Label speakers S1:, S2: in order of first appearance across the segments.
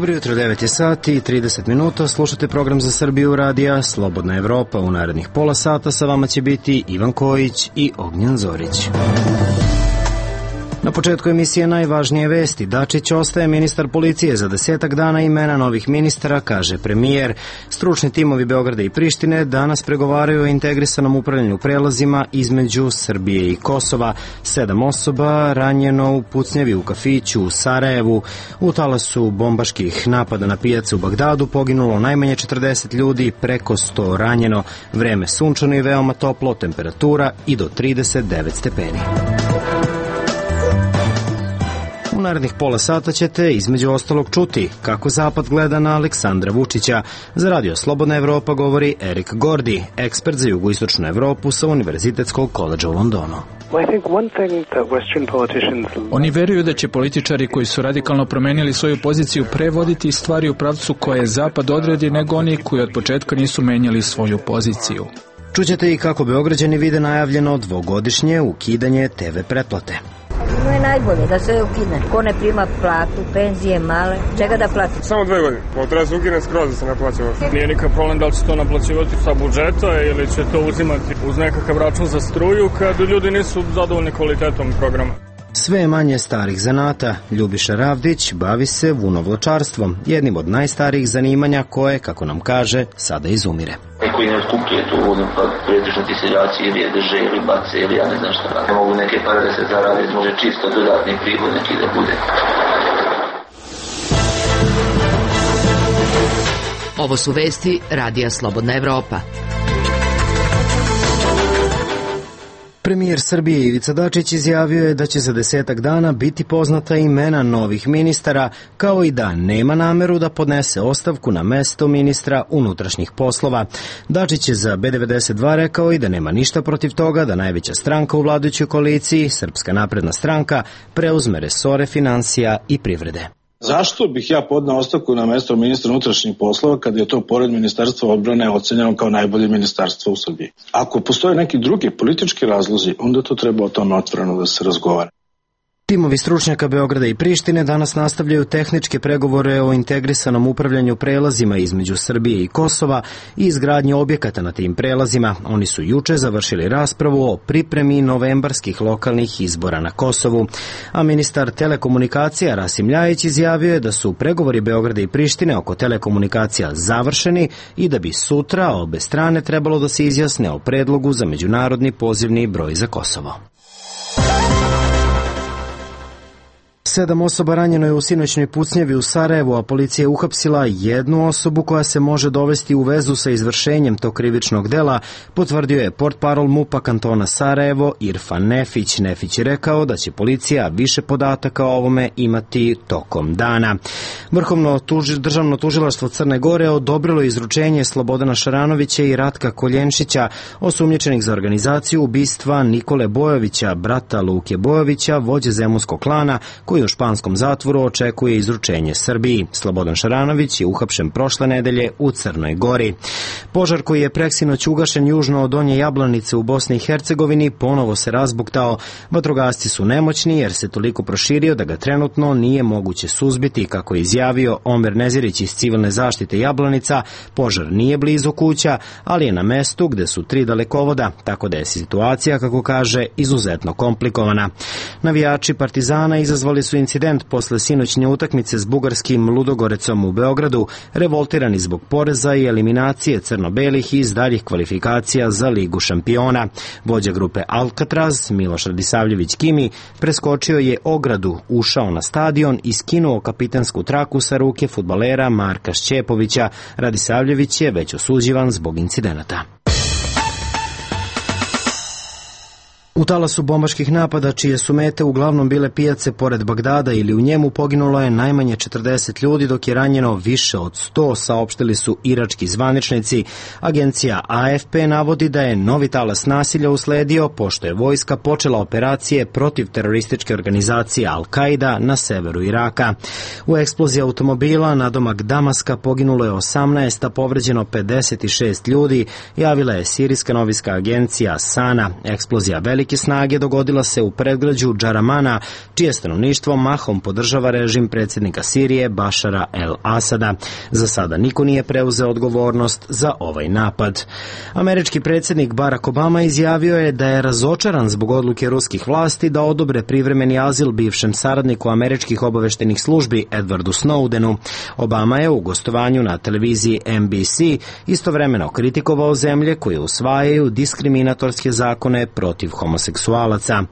S1: Dobro jutro, 9 je sati i 30 minuta. Slušate program za Srbiju radija Slobodna Evropa. U narednih pola sata sa vama će biti Ivan Kojić i Ognjen Zorić. Na početku emisije najvažnije vesti. Dačić ostaje ministar policije za 10 dana, imena novih ministara, kaže premijer. Stručni timovi Beograda i Prištine danas pregovaraju o integrisanom upravljanju prelazima između Srbije i Kosova. 7 osoba ranjeno u pucnjavi u kafiću u Sarajevu. U talasu bombaških napada na pijacu u Bagdadu poginulo najmanje 40 ljudi, preko 100 ranjeno. Vreme sunčano i veoma toplo, temperatura i do 39 stepeni. U narednih pola sata ćete između ostalog čuti kako Zapad gleda na Aleksandra Vučića. Za radio Slobodna Evropa govori Erik Gordi, ekspert za jugoistočnu Evropu sa Univerzitetskog koledža u Londonu.
S2: Oni veruju da će političari koji su radikalno promenili svoju poziciju prevoditi stvari u pravcu koje Zapad odredi nego oni koji od početka nisu menjali svoju poziciju.
S1: Čućete i kako Beograđani vide najavljeno dvogodišnje ukidanje TV pretplate.
S3: No je najbolje da se ukine. Ko ne prima platu, penzije male, čega da plati?
S4: Samo 2 godine. Treba se ukine skroz da se naplaćava. Nije nikakav problem da li će to naplaćivati sa budžeta ili će to uzimati uz nekakav račun za struju kad ljudi nisu zadovoljni kvalitetom programa.
S1: Sve je manje starih zanata. Ljubiša Ravdić bavi se vunovlačarstvom, jednim od najstarijih zanimanja koje, kako nam kaže, sada izumire.
S5: Koji ne otkupljuje tu vodu, pa pretežno ti seljaci ili je drže ili bace ili ja ne znam šta. Ne mogu neke pare da se zarade, može čisto dodatni prihod neki da bude.
S6: Ovo su vesti Radija Slobodna Evropa.
S1: Premijer Srbije Ivica Dačić izjavio je da će za 10 dana biti poznata imena novih ministara, kao i da nema nameru da podnese ostavku na mesto ministra unutrašnjih poslova. Dačić je za B92 rekao i da nema ništa protiv toga da najveća stranka u vladajućoj koaliciji, Srpska napredna stranka, preuzme resore finansija i privrede.
S7: Zašto bih ja podneo ostavku na mesto ministra unutrašnjih poslova kada je to pored ministarstva odbrane ocenjeno kao najbolje ministarstvo u Srbiji? Ako postoje neki drugi politički razlozi, onda to treba o tome otvoreno da se razgovara.
S1: Timovi stručnjaka Beograda i Prištine danas nastavljaju tehničke pregovore o integrisanom upravljanju prelazima između Srbije i Kosova i izgradnje objekata na tim prelazima. Oni su juče završili raspravu o pripremi novembarskih lokalnih izbora na Kosovu. A ministar telekomunikacija Rasim Ljajić izjavio je da su pregovori Beograda i Prištine oko telekomunikacija završeni i da bi sutra obe strane trebalo da se izjasne o predlogu za međunarodni pozivni broj za Kosovo. 7 osoba ranjeno je u sinoćnoj pucnjavi u Sarajevu, a policija je uhapsila jednu osobu koja se može dovesti u vezu sa izvršenjem tog krivičnog dela, potvrdio je portparol MUP-a kantona Sarajevo Irfan Nefić. Nefić je rekao da će policija više podataka o ovome imati tokom dana. Vrhovno državno tužilaštvo Crne Gore odobrilo izručenje Slobodana Šaranovića i Ratka Koljenšića, osumnjičenih za organizaciju ubistva Nikole Bojovića, brata Luke Bojovića, vođe zemunskog klana, koji u španskom zatvoru očekuje izručenje Srbiji. Slobodan Šaranović je uhapšen prošle nedelje u Crnoj Gori. Požar koji je preksinoć ugašen južno od Donje Jablanice u Bosni i Hercegovini ponovo se razbuktao. Vatrogasci su nemoćni jer se toliko proširio da ga trenutno nije moguće suzbiti, kako je izjavio Omer Nezirić iz civilne zaštite Jablanica. Požar nije blizu kuća, ali je na mestu gde su 3 dalekovoda, tako da je situacija, kako kaže, izuzetno komplikovana. Navijači Partizana izazvali su incident posle sinoćnje utakmice s bugarskim Ludogorecom u Beogradu, revoltirani zbog poreza i eliminacije crno-belih iz daljih kvalifikacija za Ligu šampiona. Vođa grupe Alcatraz, Miloš Radisavljević Kimi, preskočio je ogradu, ušao na stadion i skinuo kapitansku traku sa ruke fudbalera Marka Šćepovića. Radisavljević je već osuđivan zbog incidenata. U talasu bombaških napada, čije su mete uglavnom bile pijace pored Bagdada ili u njemu, poginulo je najmanje 40 ljudi, dok je ranjeno više od 100, saopštili su irački zvaničnici. Agencija AFP navodi da je novi talas nasilja usledio pošto je vojska počela operacije protiv terorističke organizacije Al-Qaida na severu Iraka. U eksploziji automobila nadomak Damaska poginulo je 18, a povređeno 56 ljudi, javila je sirijska novinska agencija Sana. Eksplozija velike velike snage dogodila se u predgrađu Džaramana, čije stanovništvo mahom podržava režim predsjednika Sirije Bašara el-Asada. Za sada niko nije preuzeo odgovornost za ovaj napad. Američki predsjednik Barack Obama izjavio je da je razočaran zbog odluke ruskih vlasti da odobre privremeni azil bivšem saradniku američkih obaveštenih službi Edwardu Snowdenu. Obama je u gostovanju na televiziji NBC istovremeno kritikovao zemlje koje usvajaju diskriminatorske zakone protiv homoseksualaca.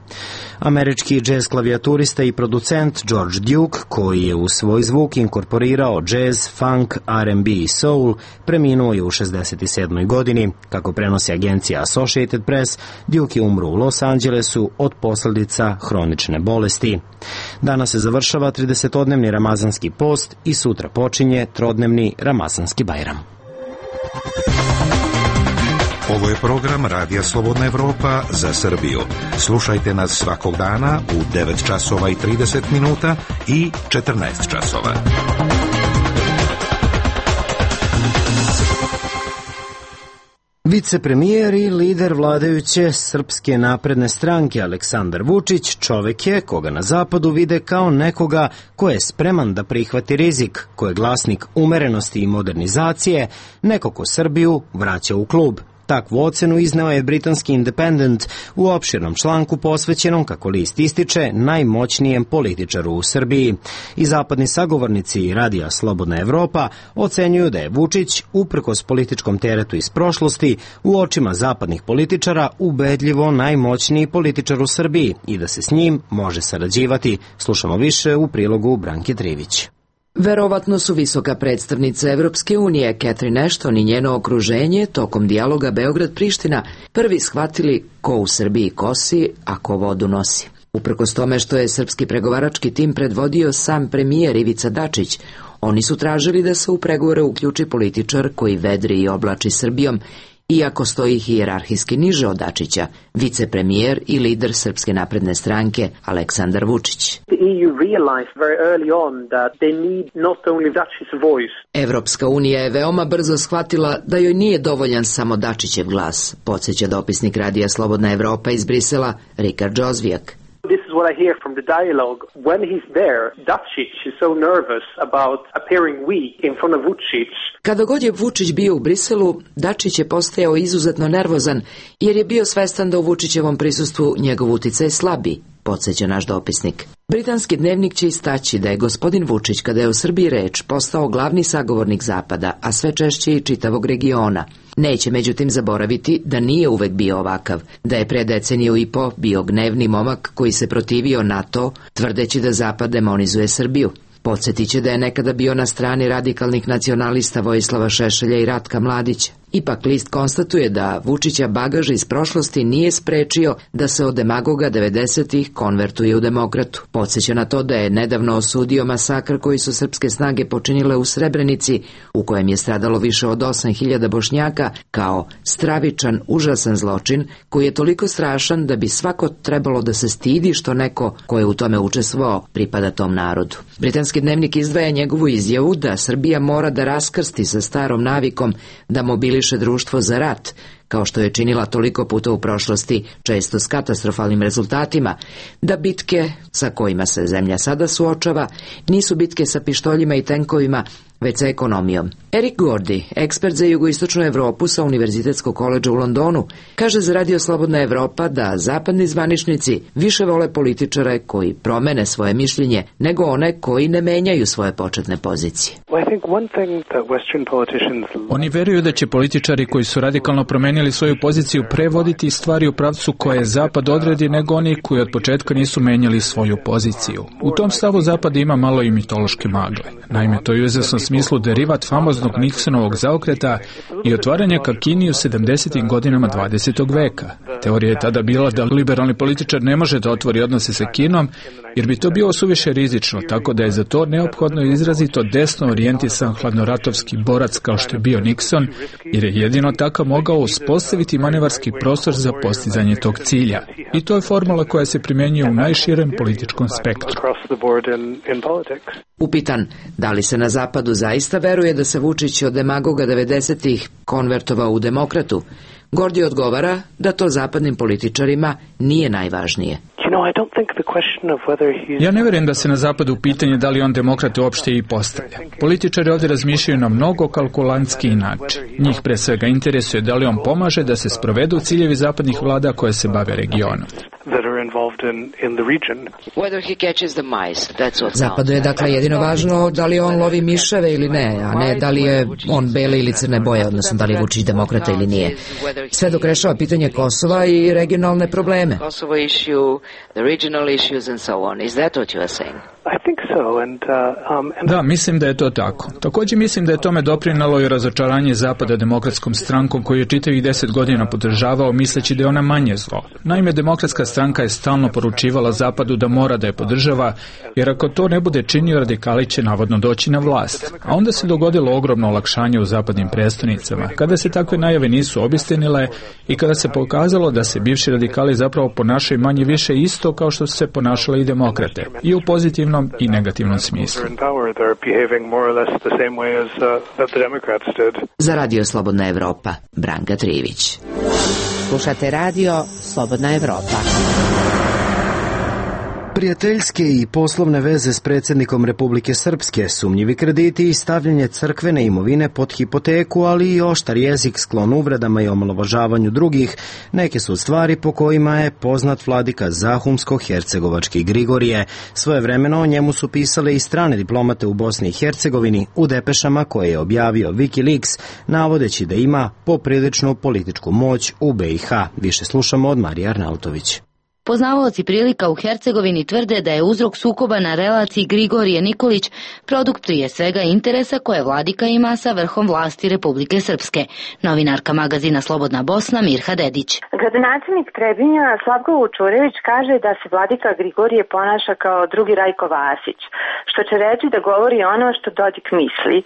S1: Američki džez klavijaturista i producent George Duke, koji je u svoj zvuk inkorporirao džez, funk, R&B i soul, preminuo je u 67. godini. Kako prenosi agencija Associated Press, Duke je umro u Los Angelesu od posljedica hronične bolesti. Danas se završava 30-dnevni ramazanski post i sutra počinje trodnevni ramazanski bajram.
S8: Ovo je program Radija Slobodna Evropa za Srbiju. Slušajte nas svakog dana u 9 časova i 30 minuta i 14 časova.
S1: Vicepremijer i lider vladajuće Srpske napredne stranke Aleksandar Vučić čovek je koga na zapadu vide kao nekoga ko je spreman da prihvati rizik, ko je glasnik umerenosti i modernizacije, neko ko Srbiju vraća u klub. Takvu ocenu izneo je britanski Independent u opširnom članku posvećenom, kako list ističe, najmoćnijem političaru u Srbiji. I zapadni sagovornici Radija Slobodna Evropa ocenjuju da je Vučić, uprkos političkom teretu iz prošlosti, u očima zapadnih političara ubedljivo najmoćniji političar u Srbiji i da se s njim može sarađivati. Slušamo više u prilogu Branke Trivić.
S6: Verovatno su visoka predstavnica Evropske unije, Catherine Ashton i njeno okruženje, tokom dijaloga Beograd-Priština, prvi shvatili ko u Srbiji kosi, a ko vodu nosi. Uprkos tome što je srpski pregovarački tim predvodio sam premijer Ivica Dačić, oni su tražili da se u pregovore uključi političar koji vedri i oblači Srbijom, iako stoji hijerarhijski niže od Dačića, vicepremijer i lider Srpske napredne stranke Aleksandar Vučić. Evropska unija je veoma brzo shvatila da joj nije dovoljan samo Dačićev glas, podsjeća dopisnik Radija Slobodna Evropa iz Brisela Rikard Jozvijak.
S9: This is what I hear from the dialogue. When he's there, Dačić is so nervous about appearing weak in front of Vučić.
S6: Kada god je Vučić bio u Briselu, Dačić je postajao izuzetno nervozan jer je bio svestan da u Vučićevom prisustvu njegov uticaj slabi, podsjeća naš dopisnik. Britanski dnevnik će istaći da je gospodin Vučić, kada je o Srbiji reč, postao glavni sagovornik Zapada, a sve češće i čitavog regiona. Neće međutim zaboraviti da nije uvek bio ovakav, da je pre deceniju i po bio gnevni momak koji se protivio NATO, tvrdeći da Zapad demonizuje Srbiju. Podsjetit će da je nekada bio na strani radikalnih nacionalista Vojislava Šešelja i Ratka Mladića. Ipak list konstatuje da Vučića bagaž iz prošlosti nije sprečio da se od demagoga 90-ih konvertuje u demokratu. Podsjeća na to da je nedavno osudio masakr koji su srpske snage počinile u Srebrenici, u kojem je stradalo više od 8.000 Bošnjaka, kao stravičan, užasan zločin koji je toliko strašan da bi svako trebalo da se stidi što neko ko je u tome učestvovao pripada tom narodu. Britanski dnevnik izdvaja njegovu izjavu da Srbija mora da raskrsti sa starom navikom da mobiliše društvo za rat, kao što je činila toliko puta u prošlosti, često s katastrofalnim rezultatima, da bitke sa kojima se zemlja sada suočava nisu bitke sa pištoljima i tenkovima, već sa ekonomijom. Erik Gordy, ekspert za jugoistočnu Evropu sa Univerzitetskog koledža u Londonu, kaže za Radio Slobodna Evropa da zapadni zvaničnici više vole političare koji promene svoje mišljenje nego one koji ne menjaju svoje početne pozicije.
S2: Oni veruju da će političari koji su radikalno promenili svoju poziciju prevoditi stvari u pravcu koje Zapad odredi nego oni koji od početka nisu menjali svoju poziciju. U tom stavu Zapad ima malo i mitološke magle. Naime, to je u izvesnom smislu derivat famoznog Nixonovog zaokreta i otvaranja ka Kini u 70. godinama 20. veka. Teorija je tada bila da liberalni političar ne može da otvori odnose sa Kinom, jer bi to bilo suviše rizično, tako da je za to neophodno izrazito desno orijentisan hladnoratovski borac kao što je bio Nixon, jer je jedino takav mogao uspostaviti manevarski prostor za postizanje tog cilja. I to je formula koja se primjenjuje u najširem političkom spektru.
S6: Upitan da li se na Zapadu zaista veruje da se Vučić od demagoga 90-ih konvertovao u demokratu, Gordi odgovara da to zapadnim političarima nije najvažnije.
S2: Ja ne vjerujem da se na zapadu pitanje da li on demokrate uopšte i postavlja. Političari ovdje razmišljaju na mnogo kalkulantski način. Njih pre svega interesuje da li on pomaže da se sprovedu ciljevi zapadnih vlada koje se bave regionom.
S6: Zapadu je dakle jedino važno da li on lovi miševe ili ne, a ne da li je on bele ili crne boje, odnosno da li je Vučić demokrata ili nije. Sve dok rešava pitanje Kosova i regionalne probleme.
S2: Da, mislim da je to tako. Također mislim da je tome doprinalo i razočaranje Zapada demokratskom strankom koju je čitavih 10 godina podržavao misleći da je ona manje zlo. Naime, demokratska stranka je stalno poručivala Zapadu da mora da je podržava, jer ako to ne bude činio, radikali će navodno doći na vlast. A onda se dogodilo ogromno olakšanje u zapadnim prestonicama, kada se takve najave nisu obistinile i kada se pokazalo da se bivši radikali zapravo ponašaju manje više isto kao što su se ponašale i demokrate, i u pozitivnom i negativnom smislu.
S6: Za Radio Slobodna Evropa, Branka Trivić.
S10: Slušate Radio Slobodna Evropa.
S1: Prijateljske i poslovne veze s predsjednikom Republike Srpske, sumnjivi krediti i stavljanje crkvene imovine pod hipoteku, ali i oštar jezik sklon uvredama i omalovažavanju drugih, neke su stvari po kojima je poznat vladika Zahumsko-Hercegovački Grigorije. Svojevremeno o njemu su pisale i strane diplomate u Bosni i Hercegovini u depešama koje je objavio Wikileaks, navodeći da ima popriličnu političku moć u BiH. Više slušamo od Marije Arnautović.
S11: Poznavaoci prilika u Hercegovini tvrde da je uzrok sukoba na relaciji Grigorije Nikolić produkt prije svega interesa koje vladika ima sa vrhom vlasti Republike Srpske. Novinarka magazina Slobodna Bosna Mirha Dedić.
S12: Gradonačelnik Trebinja Slavko Vučurević kaže da se vladika Grigorije ponaša kao drugi Rajko Vasić, što će reći da govori ono što Dodik misli.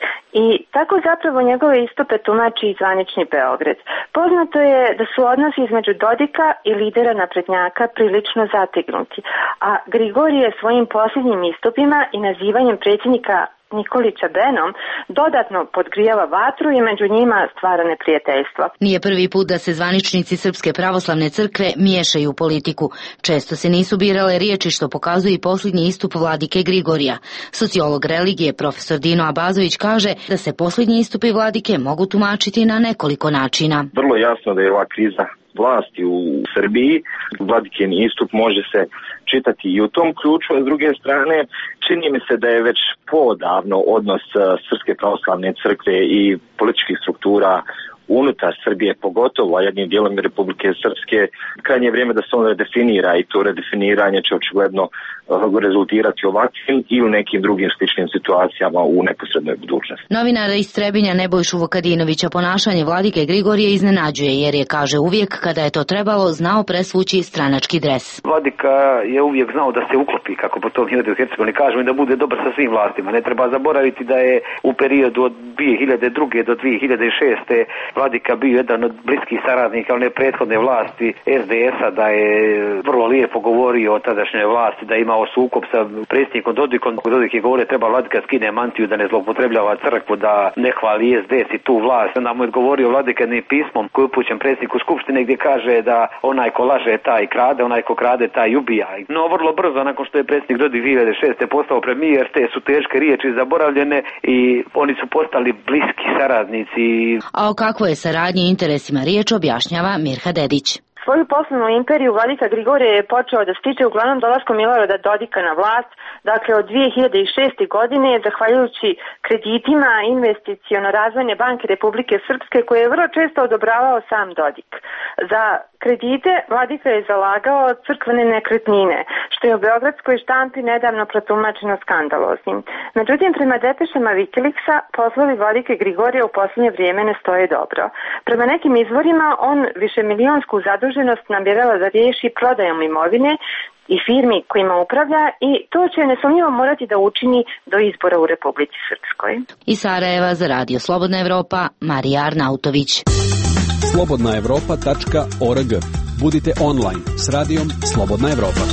S12: I tako zapravo njegove istupe tumači i zvanični Beograd. Poznato je da su odnosi između Dodika i lidera naprednjaka prilično zategnuti, a Grigorije svojim posljednjim istupima i nazivanjem predsjednika Nikolića Benom dodatno podgrijava vatru i među njima stvara neprijateljstvo.
S11: Nije prvi put da se zvaničnici Srpske pravoslavne crkve miješaju u politiku. Često se nisu birale riječi što pokazuje i posljednji istup vladike Grigorija. Sociolog religije profesor Dino Abazović kaže da se posljednji istupi vladike mogu tumačiti na nekoliko načina.
S13: Vrlo jasno da je ova kriza vlasti u Srbiji, vladikin istup može se čitati i u tom ključu, a s druge strane čini mi se da je već podavno odnos Srpske pravoslavne crkve i političkih struktura unutar Srbije, pogotovo jednim dijelom Republike Srpske, krajnje vrijeme da se on redefinira i to redefiniranje će očigledno rezultirati ovakvim i u nekim drugim sličnim situacijama u neposrednoj budućnosti.
S11: Novinara iz Trebinja Nebojšu Vukadinovića ponašanje vladike Grigorije iznenađuje jer je, kaže, uvijek kada je to trebalo znao presvući stranački dres.
S14: Vladika je uvijek znao da se uklopi, kako po tom u Hercegovini kažemo, i da bude dobar sa svim vlastima. Ne treba zaboraviti da je u periodu od 2002. do 2006. vladika bio jedan od bliskih saradnika one prethodne vlasti SDS-a, da je vrlo lijepo govorio o tadašnjoj vlasti, da je imao sukob sa predsjednikom Dodikom. Dodik je govorio treba vladika skine mantiju, da ne zloupotrebljava crkvu, da ne hvali SDS i tu vlast. Onda mu je odgovorio vladikanim pismom koji je upućen predsjedniku Skupštine gdje kaže da onaj ko laže taj krade, onaj ko krade taj ubija. No vrlo brzo nakon što je predsjednik Dodik 2006. postao premijer, te su teške riječi zaboravljene i oni su postali bliski saradnici.
S11: A o kakvoj je saradnji i interesima riječ objašnjava Mirha Dedić.
S12: Svoju poslovnu imperiju vladika Grigorije je počeo da stiče uglavnom dolaskom Milorada Dodika na vlast, dakle od 2006. godine, zahvaljujući kreditima Investiciono-razvojne banke Republike Srpske koje je vrlo često odobravao sam Dodik. Za kredite vladika je zalagao crkvene nekretnine, što je u beogradskoj štampi nedavno protumačeno skandaloznim. Međutim, prema depešama Wikileaksa, poslovi vladike Grigorije u posljednje vrijeme ne stoje dobro. Prema nekim izvorima, on višemilionsku zaduženost namjerava da riješi prodajom imovine i firmi kojima upravlja i to će nesumnjivo morati da učini do izbora u Republici Srpskoj.
S11: Iz Sarajeva za Radio Slobodna Evropa, Marija Arnautović.
S15: slobodnaevropa.org. Budite online s radijom Slobodna Evropa.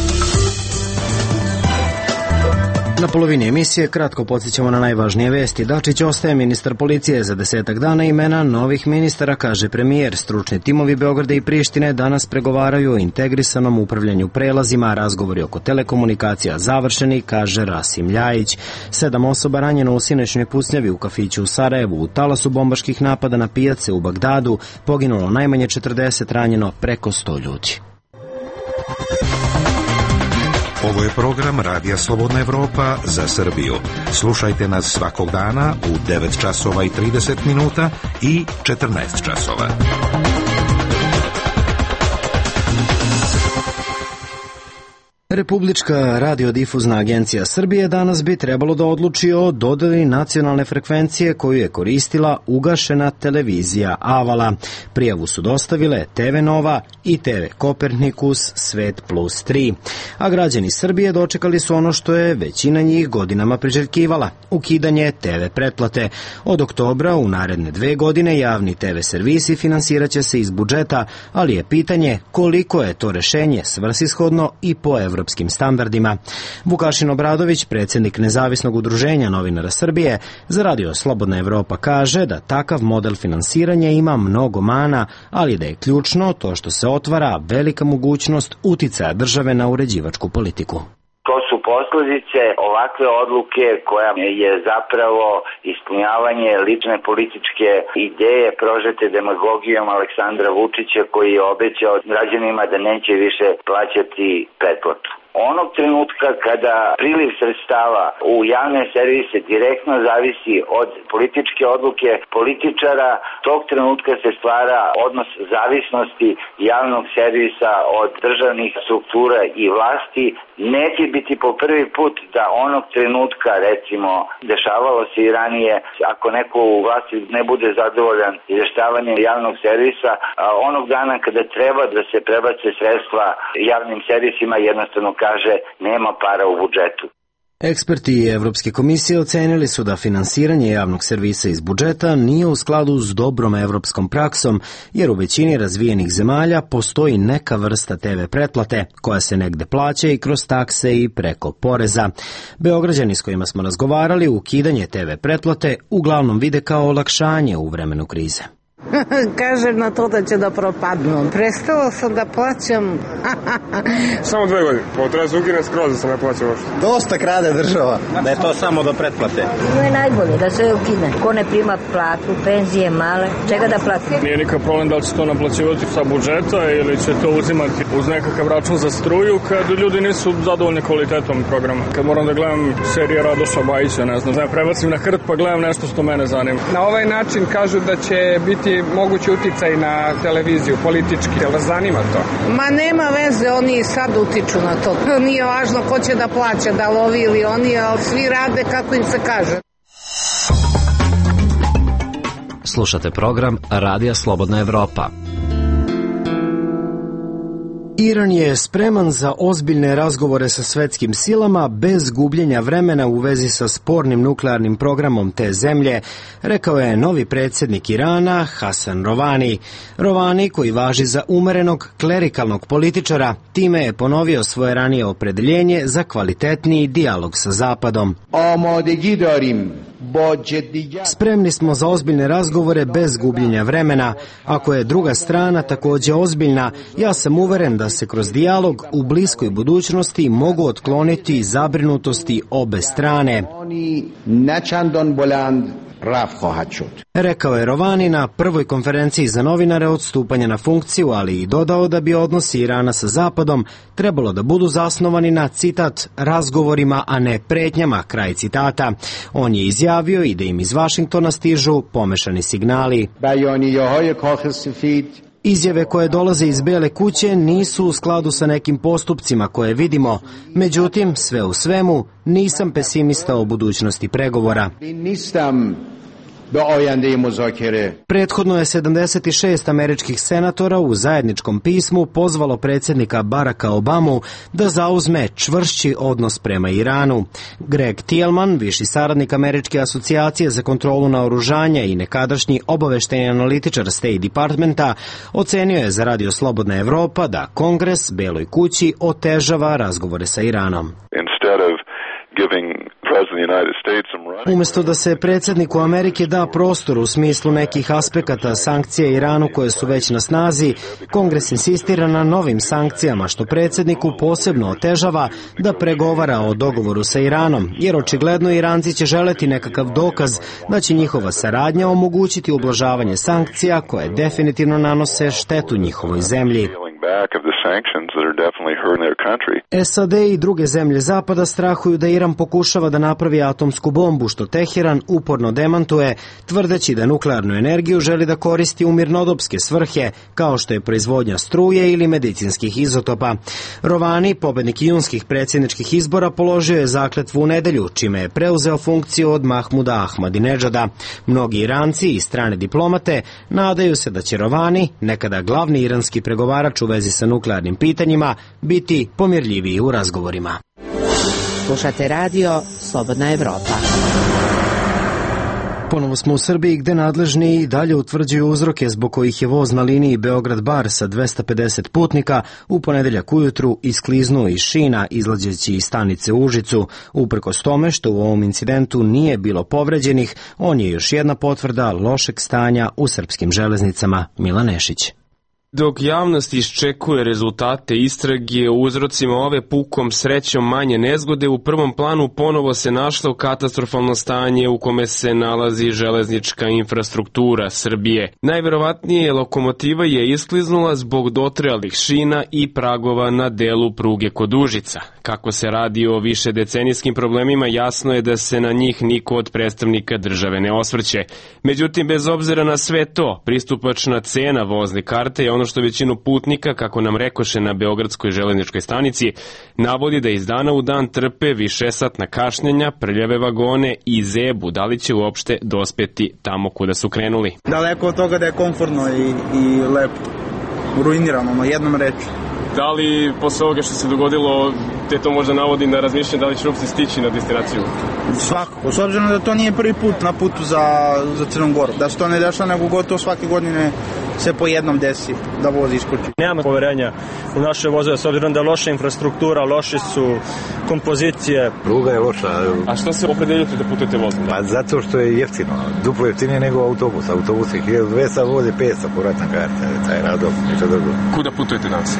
S1: Na polovini emisije kratko podsjećamo na najvažnije vesti. Dačić ostaje ministar policije za 10 dana. Imena novih ministara, kaže premijer. Stručni timovi Beograda i Prištine danas pregovaraju o integrisanom upravljanju prelazima. Razgovori oko telekomunikacija završeni, kaže Rasim Ljajić. 7 osoba ranjeno u sinoćnoj pucnjavi u kafiću u Sarajevu. U talasu bombaških napada na pijace u Bagdadu poginulo najmanje 40, ranjeno preko 100 ljudi.
S8: Ovo je program Radija Slobodna Evropa za Srbiju. Slušajte nas svakog dana u 9 časova i 30 minuta i 14 časova.
S1: Republička radiodifuzna agencija Srbije danas bi trebalo da odluči o dodeli nacionalne frekvencije koju je koristila ugašena televizija Avala. Prijavu su dostavile TV Nova i TV Kopernikus Svet plus 3. A građani Srbije dočekali su ono što je većina njih godinama priželjkivala, ukidanje TV pretplate. Od oktobra u naredne 2 godine javni TV servisi finansirat će se iz budžeta, ali je pitanje koliko je to rešenje svrsishodno i po evropskim standardima. Vukašin Obradović, predsjednik Nezavisnog udruženja novinara Srbije, za Radio Slobodna Evropa kaže da takav model finansiranja ima mnogo mana, ali da je ključno to što se otvara velika mogućnost uticaja države na uređivačku politiku.
S16: To su posljedice ovakve odluke koja je zapravo ispunjavanje lične političke ideje prožete demagogijom Aleksandra Vučića, koji je obećao građanima da neće više plaćati pretplatu. Onog trenutka kada priliv sredstava u javne servise direktno zavisi od političke odluke političara, tog trenutka se stvara odnos zavisnosti javnog servisa od državnih struktura i vlasti. Neće biti po prvi put da onog trenutka, recimo, dešavalo se i ranije, ako neko u vlasti ne bude zadovoljan izveštavanjem javnog servisa, onog dana kada treba da se prebace sredstva javnim servisima, jednostavno kaže nema para u budžetu.
S1: Eksperti Evropske komisije ocenili su da finansiranje javnog servisa iz budžeta nije u skladu s dobrom evropskom praksom, jer u većini razvijenih zemalja postoji neka vrsta TV pretplate, koja se negde plaća i kroz takse i preko poreza. Beograđani s kojima smo razgovarali ukidanje TV pretplate uglavnom vide kao olakšanje u vremenu krize.
S17: Kažem na to da će da propadnu. Prestala sam da plaćam.
S4: Samo 2 godine. Treba se ukine skroz da se ne plaća uopšte.
S18: Dosta krade država, da je to samo do pretplate.
S3: To je najbolje, da se ukine. Ko ne prima platu, penzije male, čega da plati?
S4: Nije nikakav problem da li će to naplaćivati sa budžeta ili će to uzimati uz nekakav račun za struju kad ljudi nisu zadovoljni kvalitetom programa. Kad moram da gledam serije Radoša Bajića, ne znam, prebacim na hrt pa gledam nešto što mene zanima.
S19: Na ovaj način kažu da će biti mogući uticaj na televiziju, politički. Jel vas zanima to?
S17: Ma nema veze, oni sad utiču na to. Nije važno ko će da plaća, da lovi ili oni, ali svi rade kako im se kaže.
S15: Slušate program Radija Slobodna Evropa.
S1: Iran je spreman za ozbiljne razgovore sa svetskim silama bez gubljenja vremena u vezi sa spornim nuklearnim programom te zemlje, rekao je novi predsjednik Irana Hasan Rouhani. Rouhani, koji važi za umerenog klerikalnog političara, time je ponovio svoje ranije opredeljenje za kvalitetniji dijalog sa Zapadom. Spremni smo za ozbiljne razgovore bez gubljenja vremena. Ako je druga strana također ozbiljna, ja sam uveren da se kroz dijalog u bliskoj budućnosti mogu otkloniti zabrinutosti obe strane. Rekao je Rouhani na prvoj konferenciji za novinare od stupanja na funkciju, ali i dodao da bi odnosi Irana sa Zapadom trebalo da budu zasnovani na, citat, razgovorima, a ne pretnjama, kraj citata. On je izjavio i da im iz Vašingtona stižu pomešani signali. Izjave koje dolaze iz Bele kuće nisu u skladu sa nekim postupcima koje vidimo, međutim, sve u svemu, nisam pesimista o budućnosti pregovora. Prethodno je 76 američkih senatora u zajedničkom pismu pozvalo predsjednika Baracka Obamu da zauzme čvršći odnos prema Iranu. Greg Thielman, viši saradnik Američke asocijacije za kontrolu naoružanja i nekadašnji obaveštajni analitičar State Departmenta, ocenio je za Radio Slobodna Evropa da Kongres Beloj kući otežava razgovore sa Iranom.
S20: Instead of giving
S1: Umesto da se predsjedniku Amerike da prostor u smislu nekih aspekata sankcija Iranu koje su već na snazi, Kongres insistira na novim sankcijama, što predsjedniku posebno otežava da pregovara o dogovoru sa Iranom, jer očigledno Iranci će želeti nekakav dokaz da će njihova saradnja omogućiti ublažavanje sankcija koje definitivno nanose štetu njihovoj zemlji. SAD i druge zemlje Zapada strahuju da Iran pokušava da napravi atomsku bombu, što Teheran uporno demantuje, tvrdeći da nuklearnu energiju želi da koristi u mirnodopske svrhe, kao što je proizvodnja struje ili medicinskih izotopa. Rovani, pobednik junskih predsjedničkih izbora, položio je zakletvu u nedelju, čime je preuzeo funkciju od Mahmuda Ahmadinedžada. Mnogi Iranci i strane diplomate nadaju se da će Rovani, nekada glavni iranski pregovarač u vezi sa nuklearnim pitanjima, biti pomirljiviji u razgovorima.
S10: Slušate radio Slobodna Evropa.
S1: Ponovo smo u Srbiji gde nadležni i dalje utvrđuju uzroke zbog kojih je voz na liniji Beograd-Bar sa 250 putnika u ponedeljak ujutru iskliznuo iz šina izlazeći iz stanice u Užicu. Uprkos tome što u ovom incidentu nije bilo povređenih, on je još jedna potvrda lošeg stanja u srpskim železnicama. Milan Nešić.
S20: Dok javnost iščekuje rezultate istrage o uzrocima ove pukom srećom manje nezgode, u prvom planu ponovo se našlo katastrofalno stanje u kome se nalazi železnička infrastruktura Srbije. Najverovatnije lokomotiva je iskliznula zbog dotrajalih šina i pragova na delu pruge kod Užica. Kako se radi o višedecenijskim problemima, jasno je da se na njih niko od predstavnika države ne osvrće. Međutim, bez obzira na sve to, pristupačna cena vozne karte je ono što većinu putnika, kako nam rekoše na Beogradskoj železničkoj stanici, navodi da iz dana u dan trpe višesatna kašnjenja, prljave vagone i zebu. Da li će uopšte dospeti tamo kuda su krenuli?
S21: Daleko od toga da je komfortno i lepo. Ruinirano, na jednom reči.
S20: Da li posle ovoga što se dogodilo te to možda navodi na razmišljanje da li će uopšte stići na destinaciju?
S21: Svakako, s obzirom da to nije prvi put na putu za Crnu Goru. Da se to ne dešava, nego gotovo svake godine se po jednom desi da voz iskoči.
S22: Nemamo poverenja u naše vozove, s obzirom da je loša infrastruktura, loše su kompozicije.
S23: Pruga je loša.
S20: A što se opredeljujete da putujete vozom?
S23: Pa zato što je jeftino. Duplo jeftinije nego autobus. Autobus je 1200, voze 500 povratna karta. Taj radom, ništa drugo.
S20: Kuda putujete danas?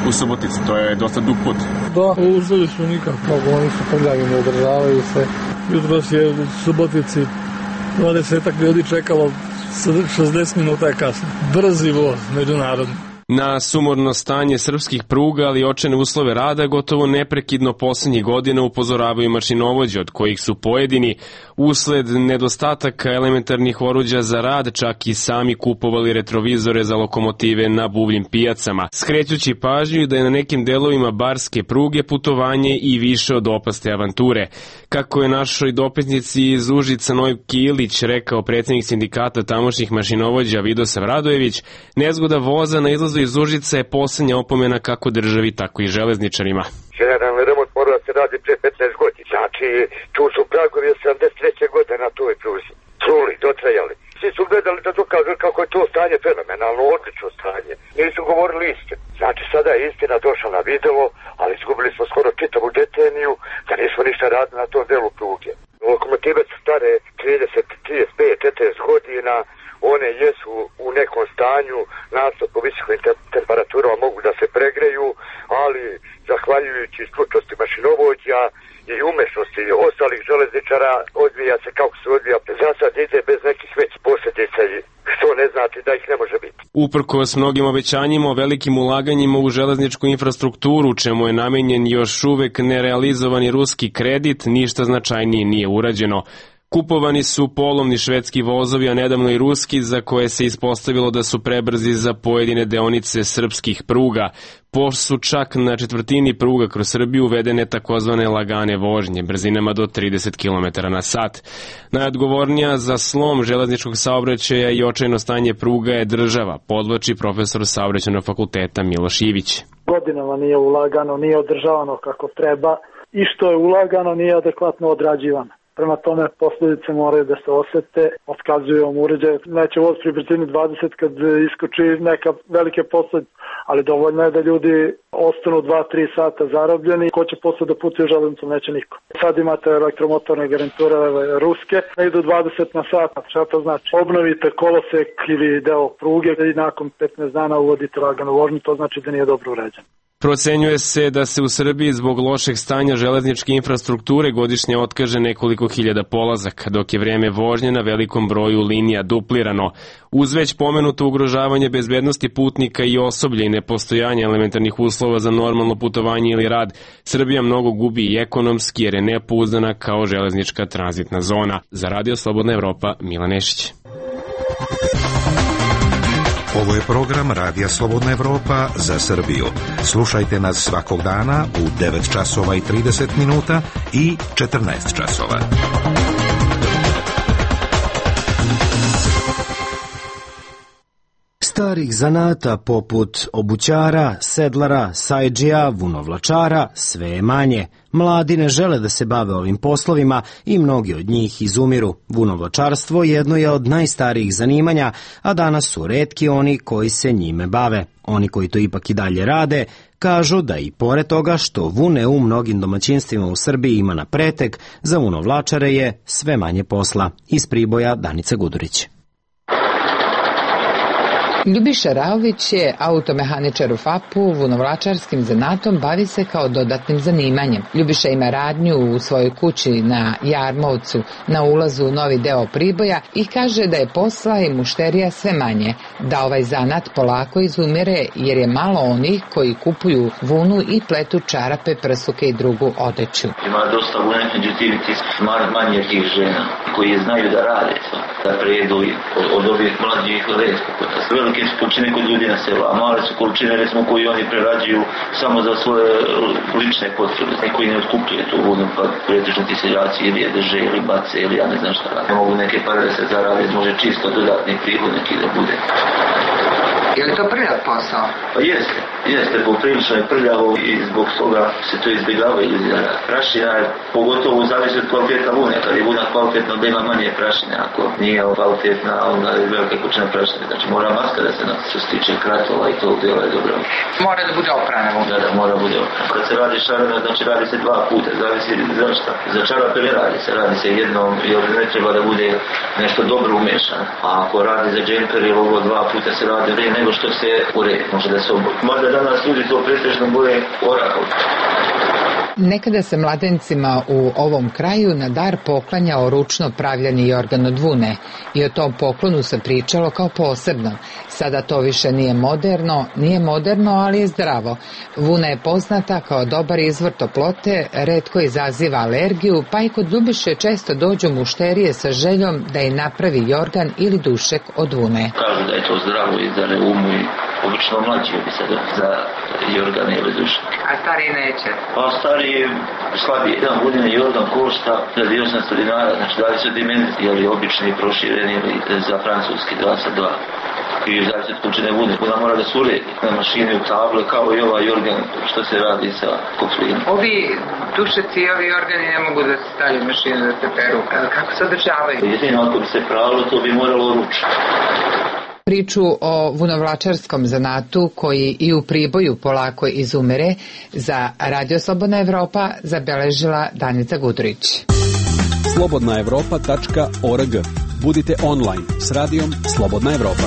S20: U Suboticu, to je dosta dug put.
S24: Da, uzeli su nikako, oni su prljavi, ne održavaju se. Jutros je u Subotici 20 ljudi čekalo, 60 minuta je kasno. Brzi voz, međunarodni.
S20: Na sumorno stanje srpskih pruga, ali i očajne uslove rada, gotovo neprekidno poslednjih godina upozoravaju mašinovođe, od kojih su pojedini, usled nedostataka elementarnih oruđa za rad, čak i sami kupovali retrovizore za lokomotive na buvljim pijacama, skrećući pažnju da je na nekim delovima barske pruge putovanje i više od opaste avanture. Kako je našoj dopisnici iz Užica Nojki Ilić rekao predsjednik sindikata tamošnjih mašinovođa Vidosav Radojević, nezgoda voza na izlazu iz Užica je poslednja opomena kako državi, tako i železničarima.
S25: Generalni remont mora da se radi pre 15 godina. Znači, tu su pragovi 73. godine na toj pruzi. Truli, dotrajali. Svi su gledali da dokažu kako je to stanje fenomenalno, odlično stanje. Nisu govorili istinu. Znači, sada je istina došla na video, ali izgubili smo skoro čitavu deceniju da nismo ništa radili na tom delu pruge. Lokomotive su stare 30, 35, 40 godina. One jesu u nekom stanju, nasto po visokim temperaturama mogu da se pregreju, ali zahvaljujući stručnosti mašinovođa i umešnosti ostalih železničara odvija se kako se odvija. Za sad ide bez nekih već posljedica, što ne znači da ih ne može biti.
S20: Uprkos mnogim obećanjima o velikim ulaganjima u železničku infrastrukturu, čemu je namenjen još uvek nerealizovani ruski kredit, ništa značajnije nije urađeno. Kupovani su polovni švedski vozovi, a nedavno i ruski, za koje se ispostavilo da su prebrzi za pojedine deonice srpskih pruga. Pošto su čak na četvrtini pruga kroz Srbiju uvedene takozvane lagane vožnje, brzinama do 30 km na sat. Najodgovornija za slom železničkog saobraćaja i očajno stanje pruga je država, podvlači profesor saobraćajnog fakulteta Miloš Ivić.
S26: Godinama nije ulagano, nije održavano kako treba i što je ulagano nije adekvatno odrađivano.
S24: prema tome posljedice moraju da se osete, otkazuju vam uređaj. Neće voz pri brzini 20 kad iskoči neka velike posljedice, ali dovoljno je da ljudi ostanu 2-3 sata zarobljeni. Ko će posle da putuje železnicom? Neće niko. Sad imate elektromotorne garniture ruske, ne idu 20 na sat. Šta to znači? Obnovite kolosek ili deo pruge i nakon 15 dana uvodite laganu vožnju, to znači da nije dobro uređen.
S20: Procenjuje se da se u Srbiji zbog lošeg stanja železničke infrastrukture godišnje otkaže nekoliko hiljada polazaka, dok je vreme vožnje na velikom broju linija duplirano. Uz već pomenuto ugrožavanje bezbednosti putnika i osoblja i nepostojanje elementarnih uslova za normalno putovanje ili rad, Srbija mnogo gubi i ekonomski jer je nepouzdana kao železnička tranzitna zona. Za Radio Slobodna Evropa, Milan Nešić.
S8: Ovo je program Radija Slobodna Evropa za Srbiju. Slušajte nas svakog dana u 9 časova i 30 minuta i 14 časova.
S1: Starih zanata poput obućara, sedlara, sajdžija, vunovlačara sve je manje. Mladi ne žele da se bave ovim poslovima i mnogi od njih izumiru. Vunovlačarstvo jedno je od najstarijih zanimanja, a danas su retki oni koji se njime bave. Oni koji to ipak i dalje rade, kažu da i pored toga što vune u mnogim domaćinstvima u Srbiji ima na pretek, za vunovlačare je sve manje posla. Iz Priboja Danica Gudurić.
S2: Ljubiša Raović je automehaničar u FAP-u, vunovlačarskim zanatom bavi se kao dodatnim zanimanjem. Ljubiša ima radnju u svojoj kući na Jarmovcu, na ulazu u novi deo Priboja i kaže da je posla i mušterija sve manje, da ovaj zanat polako izumire jer je malo onih koji kupuju vunu i pletu čarape, prsuke i drugu odeću.
S5: Ima dosta vune, međutim manje tih žena koji znaju da rade to, da prejedu od ovih mlađih redko. Velike su količine kod ljudi na selu, a male su količine recimo koji oni prerađuju samo za svoje lične potrebe. Neko i ne otkupljuje tu vodu, pa pretežno ti seljaci ili je drže ili bace ili ja ne znam šta rade. Mogu neke pare da se zarade, može čisto dodatni prihod neki da bude.
S2: Je li to prljav posao?
S5: Pa jeste, poprilično je prljavo i zbog toga se to izbjegava ili zara. Prašina je pogotovo zavisi od kvaliteta vune, kad je vuna kvalitetna da ima manje prašine, ako nije kvalitetna onda je velika količina prašine, znači mora maska da se nas što se tiče kratova i tog djela je dobro.
S2: Mora da bude oprana vuna?
S5: Da, mora bude oprana. Kad se radi šarena, znači radi se 2 puta, zavisi za šta. Za čarape ne radi se jednom, jer ne treba da bude nešto dobro umešano. A ako radi za džemper ili ovo 2 puta se radi vrije nego što se uredi, može da se oboji. Možda danas ljudi to pretežno boje orahom.
S2: Nekada se mladencima u ovom kraju na dar poklanjao ručno pravljeni jorgan od vune i o tom poklonu se pričalo kao posebno. Sada to više nije moderno, ali je zdravo. Vuna je poznata kao dobar izvor toplote, retko izaziva alergiju, pa i kod Ljubiše često dođu mušterije sa željom da je napravi jorgan ili dušek od vune.
S5: Kažu da je to zdravo i za reumu i obično mlađi bi se za jorgane ili dušek.
S2: A stari neće?
S5: Pa stari slabije. Jedan vodeni jorgan košta 1800 dinara, znači da li su dimenzije, ili obični prošireni ili za francuski 2 sa 2. I zavisi od količine vune, vuna mora da se uredi na mašini u table, kao i ovaj jorgan što se radi sa koflinom.
S2: Ovi dušeci i ovi organi ne mogu da se stavljaju mašinu da se peru. Kako se održavaju?
S5: Jedino ako bi se pravilo, to bi moralo ručno.
S2: Priču o vunovlačarskom zanatu koji i u Priboju polako izumire za Radio Slobodna Evropa zabeležila Danica Gudurić.
S6: slobodnaevropa.org. Budite online s radijom Slobodna Evropa.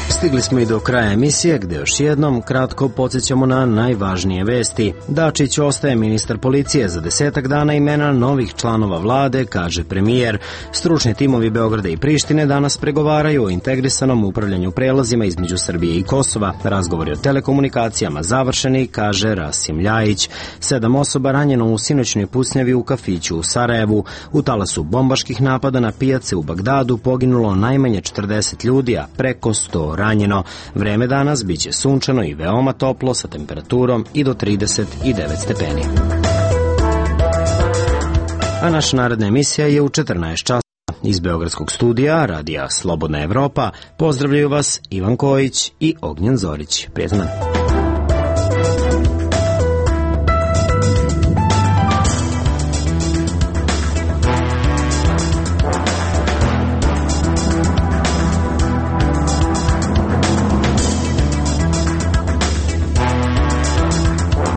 S1: Stigli smo i do kraja emisije gde još jednom kratko podsjećamo na najvažnije vesti. Dačić ostaje ministar policije za 10 dana, imena novih članova vlade, kaže premijer. Stručni timovi Beograda i Prištine danas pregovaraju o integrisanom upravljanju prelazima između Srbije i Kosova. Razgovori o telekomunikacijama završeni, kaže Rasim Ljajić. 7 osoba ranjeno u sinoćnoj pucnjavi u kafiću u Sarajevu. U talasu bombaških napada na pijace u Bagdadu poginulo najmanje 40 ljudi, a preko 100 ranjeno. Vreme danas biće sunčano i veoma toplo sa temperaturom i do 39 stepeni. A naša naredna emisija je u 14 časova. Iz Beogradskog studija Radija Slobodna Evropa pozdravljaju vas Ivan Kojić i Ognjen Zorić. Prijatan dan.